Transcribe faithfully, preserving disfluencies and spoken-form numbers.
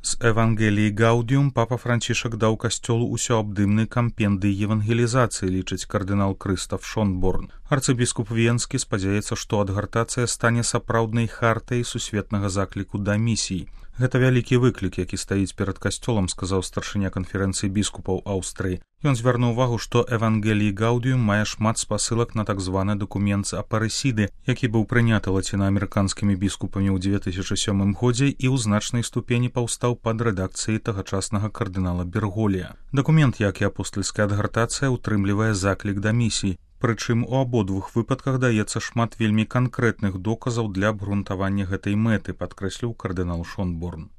З Евангеліі Гаудіум папа Францішак даў касцёлу усеабдымны кампендый евангелізацыі, лічыць кардынал Крыстаф Шонборн. Арцыбіскуп Венскі спадзяецца, што адгартацыя стане сапраўднай хартай сусветнага закліку да місій. Гэта вялікі выклік, які стаіць перад касцёлам, сказаў старшыня канферэнцыі біскупаў Аўстрыі. Ён звярнуў увагу, што Евангелій Гаудіум мае шмат спасылак на так званы дакумент апарысіды, які быў прыняты лацінаамерыканскімі біскупамі ў дзве тысячы сёмым годзе і ў значнай ступені паўстаў пад рэдакцыяй тагачаснага кардынала Берголія. Дакумент, як і апостальская адгартацыя, утрымлівае заклік да місій. Прычым у абодвух выпадках даецца шмат вельмі канкрэтных доказаў для абгрунтавання гэтай мэты, падкрэсліў кардынал Шонборн.